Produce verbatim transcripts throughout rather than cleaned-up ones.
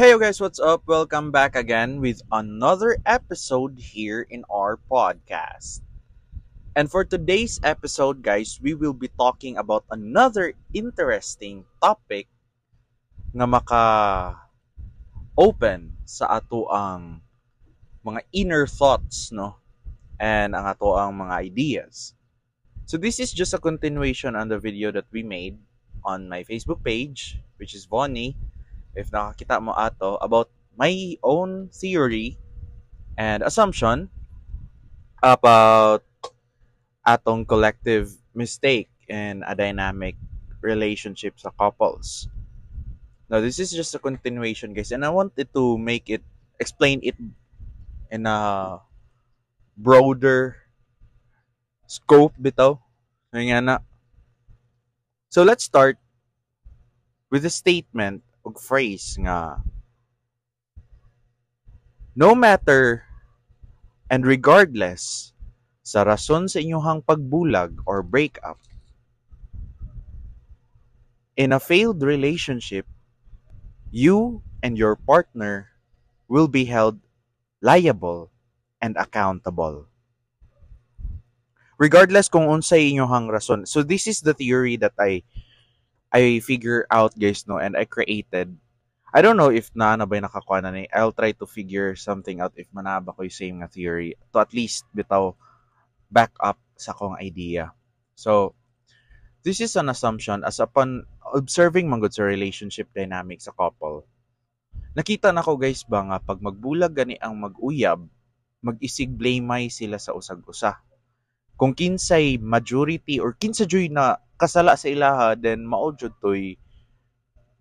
Hey you guys, what's up? Welcome back again with another episode here in our podcast. And for today's episode, guys, we will be talking about another interesting topic nga maka open sa ato ang mga inner thoughts, no? And ang ato ang mga ideas. So this is just a continuation on the video that we made on my Facebook page, which is Vonnie if nakakita mo ato about my own theory and assumption about atong collective mistake in a dynamic relationship sa couples. Now, this is just a continuation, guys, and I wanted to make it, explain it in a broader scope bitaw. Nga na. So, let's start with a statement og phrase nga no matter and regardless sa rason sa inyong pagbulag or breakup in a failed relationship you and your partner will be held liable and accountable regardless kung unsay inyong rason so this is the theory that I I figure out guys no and I created I don't know if naa na ba nakakuha na ni I'll try to figure something out if manaba ko yung same nga theory to at least bitaw back up sa akong idea. So this is an assumption as upon observing man gud sa relationship dynamic sa couple. Nakita na ko guys ba nga pag magbulag gani ang mag-uyab, mag-isig blame sila sa usag-usa. Kung kinsay majority or kinsa juy na kasala sa ilaha then mao jud toy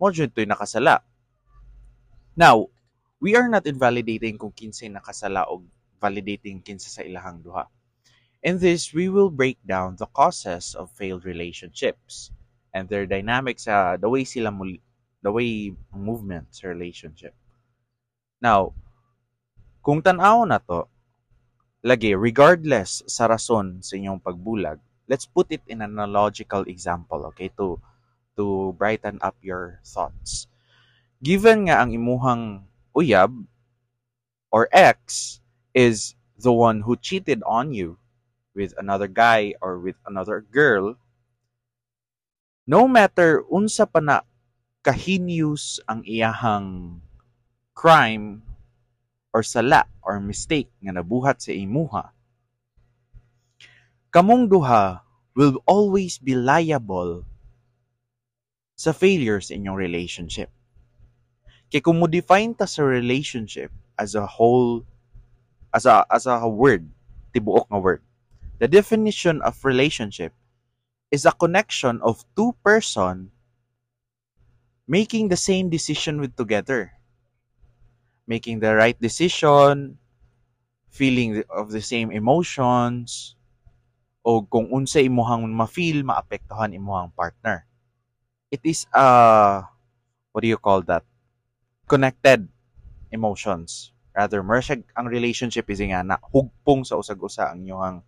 mao jud toy nakasala. Now, we are not invalidating kung kinsay nakasala o validating kinsa sa ilahang duha. In this, we will break down the causes of failed relationships and their dynamics sa the way sila mul- the way movement sa relationship. Now, kung tan-aw na to, lagi regardless sa rason sa inyong pagbulag, let's put it in an analogical example, okay, to to brighten up your thoughts. Given nga ang imuhang uyab or ex is the one who cheated on you with another guy or with another girl, no matter unsa pa na ka-heinous ang iyahang crime or sala or mistake nga nabuhat sa imuha, kamong duha will always be liable sa failure sa inyong relationship. Kay kung mo define ta sa relationship as a whole, as a as a word, tibuok nga word. The definition of relationship is a connection of two person making the same decision with together. Making the right decision, feeling of the same emotions, o kung unsa imuhang ma-feel, maapektuhan imuhang partner. It is a, what do you call that? Connected emotions. Rather, mura siya, ang relationship is nga na hugpong sa usag-usa ang inyong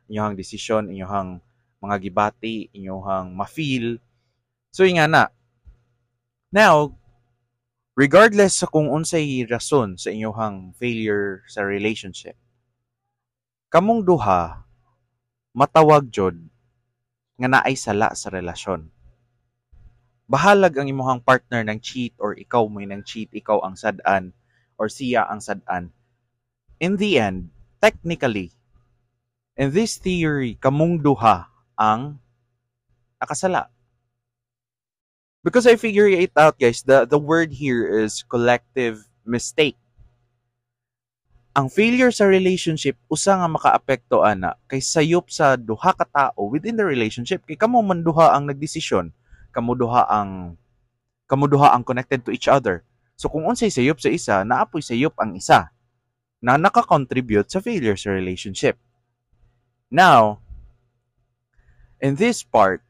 inyong desisyon, inyong mga gibati, inyong ma-feel. So nga na. Now, regardless sa kung unsay rason sa inyong failure sa relationship, kamong duha matawag jud nga naay sala sa relasyon. Bahalag ang imuhang partner nang cheat or ikaw mo'y nang cheat, ikaw ang sad-an or siya ang sad-an. In the end, technically, in this theory, kamong duha ang nakasala. Because I figure it out, guys, the, the word here is collective mistake. Ang failure sa relationship, usa nga makaapekto ana kay sayop sa duha ka tao within the relationship. Kay kamo man duha ang nagdesisyon, kamo duha ang kamo duha ang connected to each other. So kung unsay sayop sa isa, naa poy sayop ang isa na naka-contribute sa failure sa relationship. Now, in this part,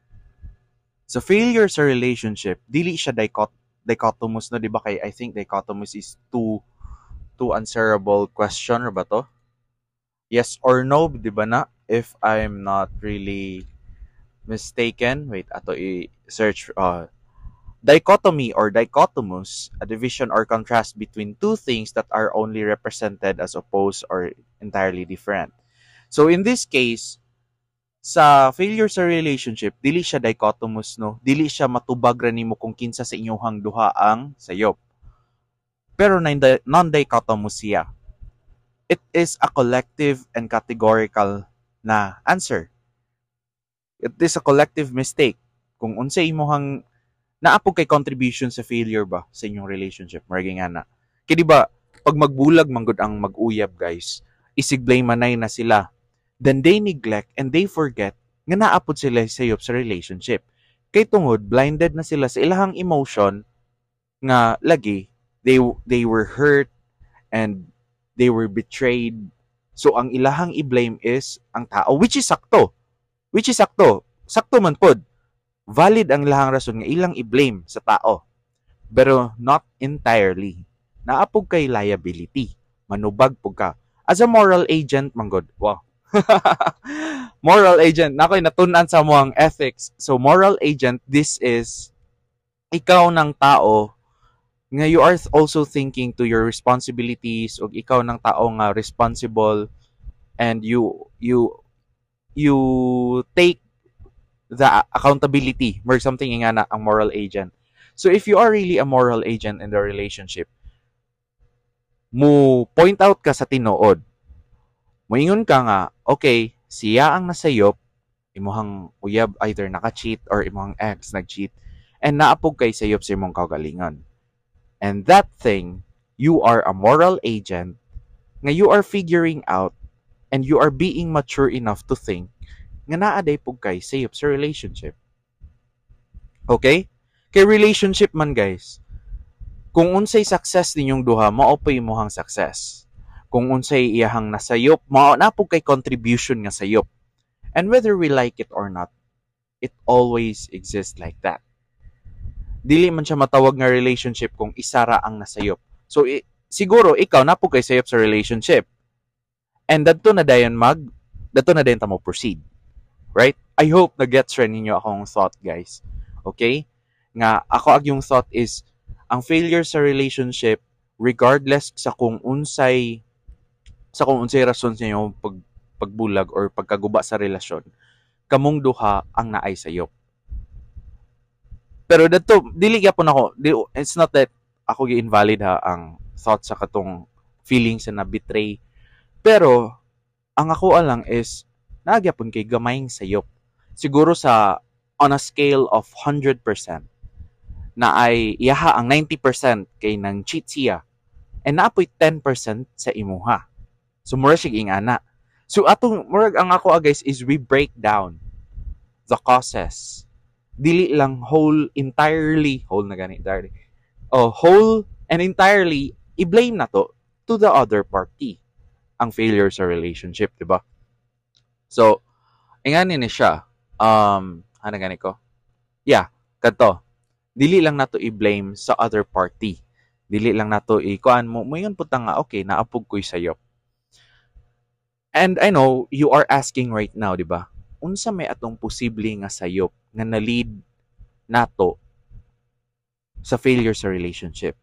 sa failure sa relationship, dili siya dicot dichotomous no, di ba kay I think dichotomous is two two answerable question or ba to? Yes or no, di ba na? If I'm not really mistaken, wait, ato i-search uh, Dichotomy or dichotomous, a division or contrast between two things that are only represented as opposed or entirely different. So in this case, sa failure sa relationship, dili siya dichotomous, no? Dili siya matubag ra nimo kung kinsa sa inyong duha ang sayop. Pero non-dichotomous siya. It is a collective and categorical na answer. It is a collective mistake. Kung unsa imuhang naa pud kay contribution sa failure ba sa inyong relationship, murag nga na. Kay di ba pag magbulag manggod ang mag-uyab guys, isig blame manay na sila. Then they neglect and they forget nga naa pud sila sayop sa relationship. Kay tungod blinded na sila sa ilahang emotion nga lagi they they were hurt and they were betrayed. So ang ilahang i-blame is ang tao which is sakto. Which is sakto. Sakto man pod valid ang ilahang rason nga ilang i-blame sa tao. Pero not entirely. Naa pud kay liability. Manubag pud ka. As a moral agent, manggod. Wow. moral agent. Nakoy natun-an sa among ethics. So moral agent, this is ikaw ng tao nga you are also thinking to your responsibilities o ikaw ng tao nga responsible and you you you take the accountability or something nga na ang moral agent. So if you are really a moral agent in the relationship, mo point out ka sa tinuod. Moingon ka nga, okay, siya ang nasayop, imuhang uyab either naka-cheat or imuhang ex nag-cheat, and naa pud kay sayop sa imong kaugalingon. And that thing, you are a moral agent nga you are figuring out and you are being mature enough to think nga naa diay pud kay sayop sa relationship. Okay? Kay relationship man guys, kung unsay success ninyong duha, mao pa imuhang success. Kung unsay iyahang nasayop, mao na pud kay contribution nga sayop. And whether we like it or not, it always exists like that. Dili man siya matawag nga relationship kung isa ra ang nasayop. So i- siguro ikaw naa pud kay sayop sa relationship. And dadto na dayon mag dadto na dayon ta mo proceed. Right? I hope na gets ra ninyo akong thought, guys. Okay? Nga ako ag yung thought is ang failure sa relationship regardless sa kung unsay sa kung unsay rason sa inyong pag, pagbulag or pagkaguba sa relasyon, kamong duha ang naay sayop. Pero dadto dili gyapon ako, di, it's not that ako gi-invalid ha ang thought sa katong feeling sa na betray. Pero ang ako lang is naa gyapon kay gamayng sayop. Siguro sa on a scale of one hundred percent na ay iyaha ang ninety percent kay nang cheat siya and naa poy ten percent sa imuha. So mura siya ingana. So atong murag ang ako ah, guys is we break down the causes. Dili lang whole entirely whole na gani entirely. Oh, whole and entirely i-blame na to to the other party ang failure sa relationship, di ba? So, ingani ni siya. Um, ano gani ko? Yeah, kadto. Dili lang nato i-blame sa other party. Dili lang nato i-kuan mo moingon pud ta nga okay, naa pud ko'y sayop. And I know you are asking right now, di ba? Unsa may atong posible nga sayop nga na-lead nato sa failure sa relationship?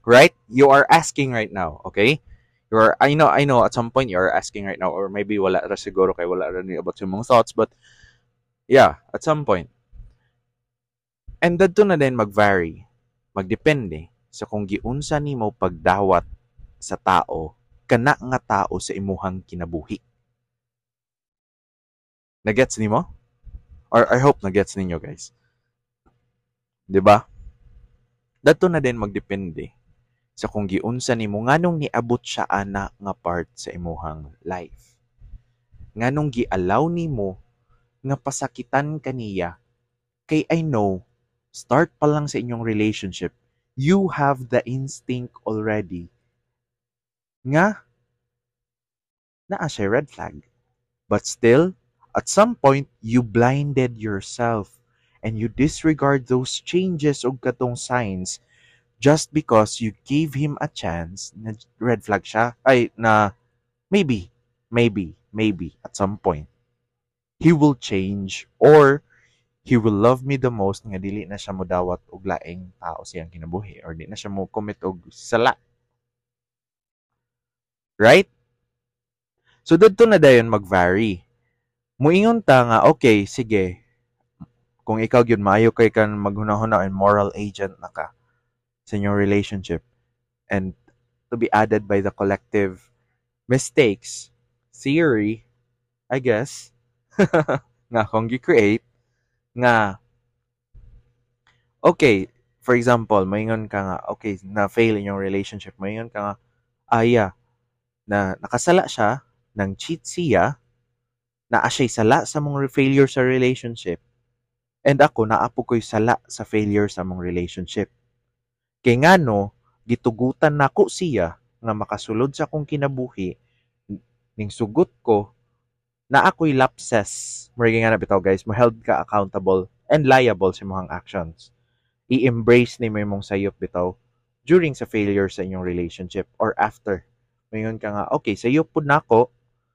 Right? You are asking right now, okay? You are, I know, I know at some point you are asking right now or maybe wala ra siguro kay wala ra ni about sa imong thoughts but yeah, at some point. And dadto na din mag-vary. Magdepende sa kung giunsa nimo pagdawat sa tao kana nga tao sa imuhang kinabuhi. Nagets nimo? Or I hope nagets ninyo guys. 'Di ba? Dadto na din magdepende sa kung giunsa nimo nganong niabot siya ana nga part sa imuhang life. Nganong gi-allow nimo nga pasakitan kaniya kay I know start pa lang sa inyong relationship you have the instinct already nga naa siya red flag. But still, at some point, you blinded yourself and you disregard those changes og katong signs just because you gave him a chance na red flag siya. Ay, na maybe, maybe, maybe at some point, he will change or He will love me the most nga dili na siya modawat og laing tao sa iyang kinabuhi or di na siya mo commit og sala. Right? So didto na dayon mag-vary. Muingon ta nga okay, sige. Kung ikaw gyud maayo kay kan maghuna-huna and moral agent na ka sa inyong relationship and to be added by the collective mistakes theory, I guess, nga akong gi-create nga okay, for example, moingon ka nga okay, na fail inyong relationship, moingon ka nga ah yeah, na nakasala siya, nang cheat siya, naa siya'y sala sa mong failure sa relationship, and ako naa po ko'y sala sa failure sa mong relationship. Kay ngano, gitugutan nako siya nga makasulod sa akong kinabuhi, ning sugot ko, naa ko'y lapses. Murag nga na bitaw guys, mo held ka accountable and liable sa imong actions. I-embrace nimo imong sayop bitaw during sa failure sa inyong relationship or after. Moingon ka nga, okay, sayop pud nako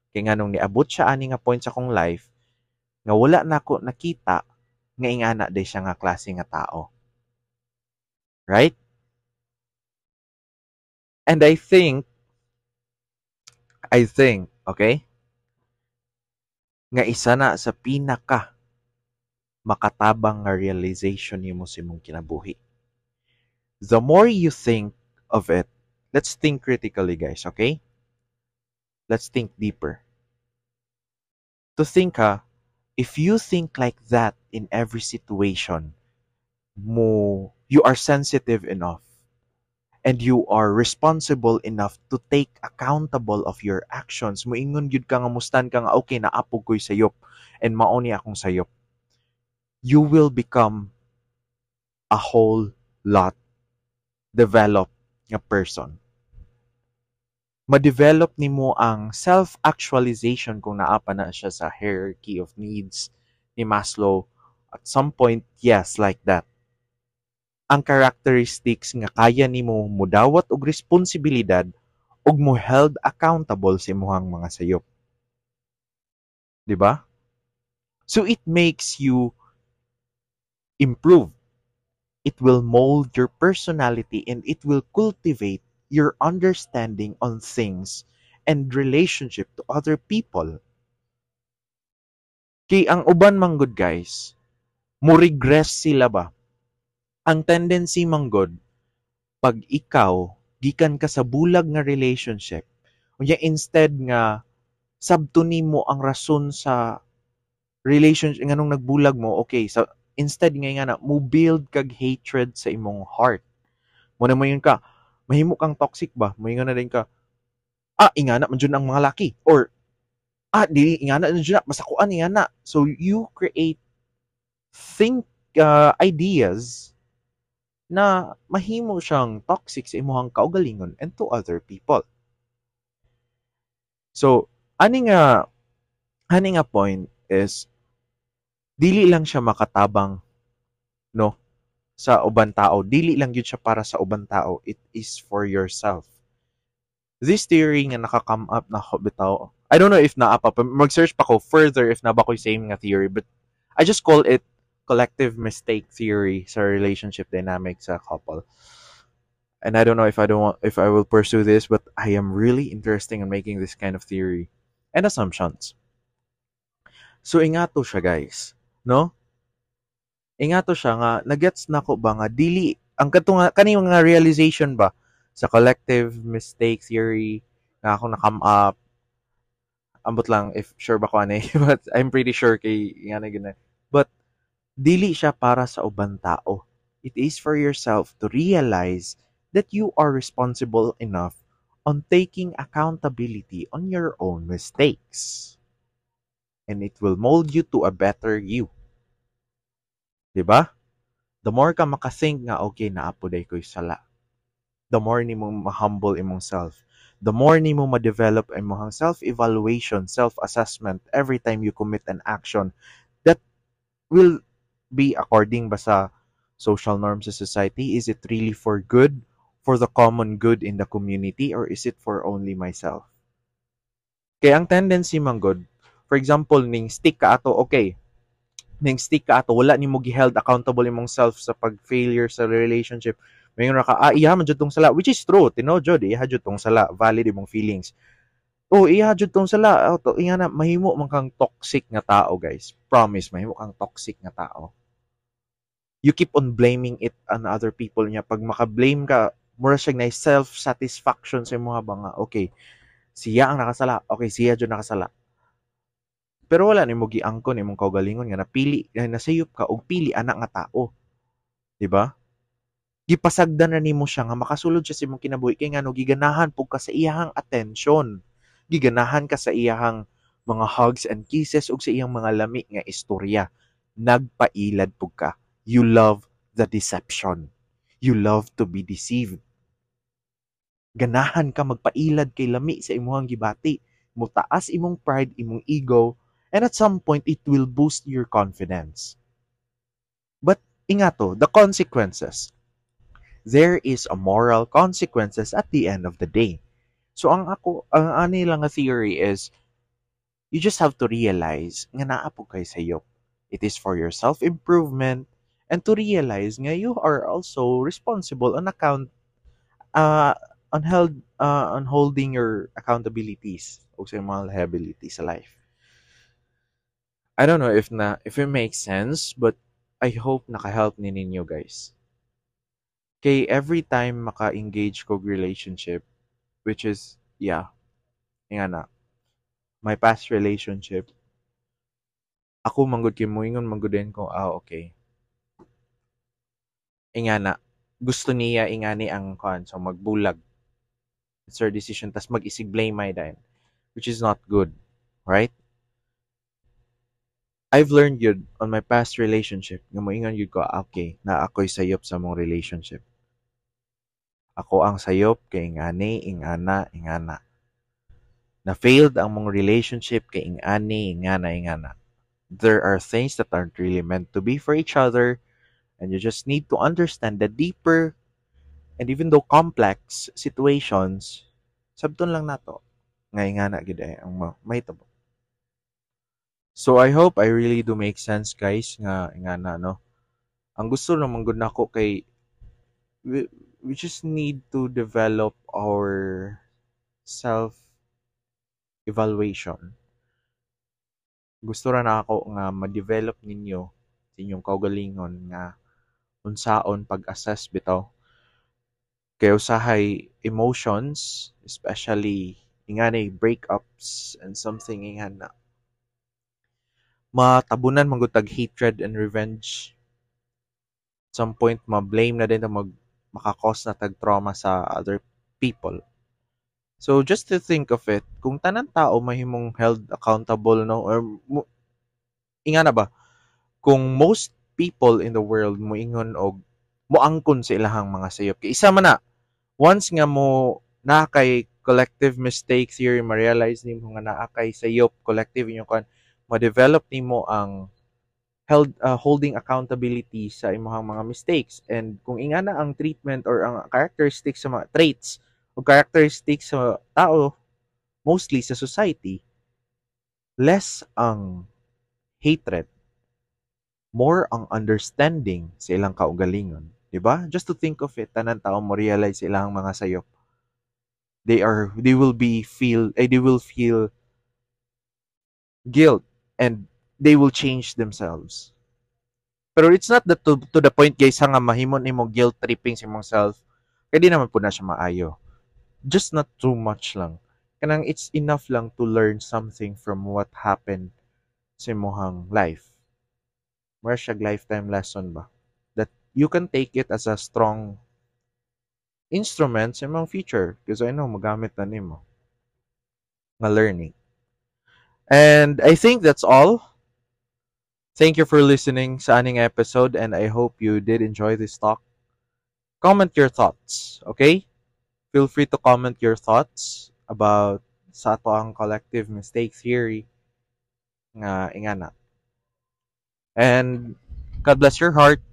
kay nganong niabot siya ani nga point sa akong life nga wala nako nakita nga ingana day siya nga klase nga tao. Right? And I think I think, okay? Nga isa na sa pinaka makatabang nga realization nimo sa imong kinabuhi. The more you think of it, let's think critically guys, okay? Let's think deeper. To think ha, if you think like that in every situation, mo you are sensitive enough and you are responsible enough to take accountable of your actions. Moingon gyud ka nga mustan ka nga okay naa po ko'y sayop and mao ni akong sayop. You will become a whole lot developed nga person. Ma-develop nimo ang self-actualization kung naa pa na siya sa hierarchy of needs ni Maslow. At some point, yes, like that. Ang characteristics nga kaya nimo mudawat og responsibilidad ug mo held accountable sa imong mga sayop. 'Di ba? So it makes you improve. It will mold your personality and it will cultivate your understanding on things and relationship to other people. Kay ang uban man gud guys, mo regress sila ba? Ang tendency man gud pag ikaw gikan ka sa bulag nga relationship, unya instead nga sabto nimo ang rason sa relationship nganong nagbulag mo, okay, sa instead nga nga na mo build kag hatred sa imong heart. Mo na moingon ka, mahimo kang toxic ba? Moingon na din ka, ah, ingana man jud ang mga laki or ah, dili ingana man jud na, masakuan ingana. So you create think uh, ideas na mahimo siyang toxic sa imong kaugalingon and to other people. So, ani nga ani nga point is dili lang siya makatabang no sa uban tao dili lang gyud siya para sa uban tao it is for yourself this theory nga naka-come up na ko bitaw I don't know if naa pa mag-search pa ko further if naa ba ko'y same nga theory but I just call it collective mistake theory sa relationship dynamic sa couple and I don't know if I don't want if I will pursue this but I am really interested in making this kind of theory and assumptions so ingato siya guys no ingato siya nga nagets nako ba nga dili ang kadto nga kani nga realization ba sa collective mistake theory nga ako na come up ambot lang if sure ba ko ani but I'm pretty sure kay nga na gina but dili siya para sa uban tao it is for yourself to realize that you are responsible enough on taking accountability on your own mistakes and it will mold you to a better you 'Di ba? The more ka makathink nga okay naa po day ko'y sala. The more nimo ma-humble imong self. The more nimo ma-develop imong self-evaluation, self-assessment every time you commit an action that will be according ba sa social norms sa society? Is it really for good, for the common good in the community, or is it for only myself? Kaya ang tendency man gud, for example, ning stick ka ato, okay, Ning stick ka ato, wala nimo gi-held accountable imong self sa pag-failure sa relationship. Moingon ra ka, ah, iya man jud tong sala, which is true, tinuod jud, iya jud tong sala, valid imong feelings. Oh, iya jud tong sala, oh, to, iya na, mahimo man kang toxic nga tao, guys. Promise, mahimo kang toxic nga tao. You keep on blaming it on other people niya. Pag maka-blame ka, mura siya na self-satisfaction sa imo ba nga, okay, siya ang nakasala, okay, siya jud nakasala. Pero wala nimo giangkon imong kaugalingon nga napili, nga nasayop ka og pili ana nga tao. Di ba? Gipasagdan na nimo siya nga makasulod siya sa imong kinabuhi kay ngano giganahan pug ka sa iyahang attention. Giganahan ka sa iyahang mga hugs and kisses ug sa iyang mga lami nga istorya. Nagpailad pug ka. You love the deception. You love to be deceived. Ganahan ka magpailad kay lami sa imong gibati. Mutaas imong pride, imong ego, and at some point, it will boost your confidence. But, ingato, the consequences. There is a moral consequences at the end of the day. So, ang ako, ang ani lang nga theory is, you just have to realize nga naa po kay sayop. It is for your self-improvement and to realize nga you are also responsible on account uh, on held uh, on holding your accountabilities o sa mga liabilities sa life. I don't know if na if it makes sense, but I hope naka-help ni ninyo guys. Kay every time maka-engage kog relationship, which is yeah, nga na, my past relationship, ako manggod kay moingon manggod din ko, ah okay. Ingana, gusto niya ingani ang kuan so magbulag. It's her decision tas mag-isig blame my dayon, which is not good, right? I've learned yun on my past relationship nga moingon yun ko, ah, okay, na ako'y sayop sa mong relationship. Ako ang sayop kay ingani, ingana, ingana. Na failed ang mong relationship kay ingani, ingana, ingana. There are things that aren't really meant to be for each other and you just need to understand the deeper and even though complex situations, sabton lang nato. Nga ingana gid ay ang mahitabo. So I hope I really do make sense guys nga nga na no. Ang gusto naman gud nako kay we, we just need to develop our self evaluation. Gusto ra na ako nga ma-develop ninyo sa inyong kaugalingon nga unsaon pag-assess bitaw. Kay usahay emotions, especially ingani breakups and something ingana matabunan man gud tag hatred and revenge. At some point ma-blame na din ta mag maka-cause na tag trauma sa other people. So just to think of it, kung tanan tao mahimong held accountable no or mo, ingana ba kung most people in the world moingon og moangkon sa ilahang mga sayop kay isa man na once nga mo naa kay collective mistake theory ma-realize nimo nga naa kay sayop collective inyong kan ma-develop nimo ang held uh, holding accountability sa imong mga mistakes and kung ingana ang treatment or ang characteristics sa mga traits o characteristics sa tao mostly sa society less ang hatred more ang understanding sa ilang kaugalingon di ba just to think of it tanan tao mo realize ilang mga sayop they are they will be feel eh, they will feel guilt and they will change themselves. Pero it's not that to, to the point guys nga mahimo nimo guilt tripping sa imong self. Kay di naman po na siya maayo. Just not too much lang. Kanang it's enough lang to learn something from what happened sa imong life. Mura siya lifetime lesson ba? That you can take it as a strong instrument sa imong future because I know magamit na nimo nga learning. And I think that's all. Thank you for listening sa aning episode and I hope you did enjoy this talk. Comment your thoughts, okay? Feel free to comment your thoughts about sa ato ang collective mistake theory nga ingana. And God bless your heart.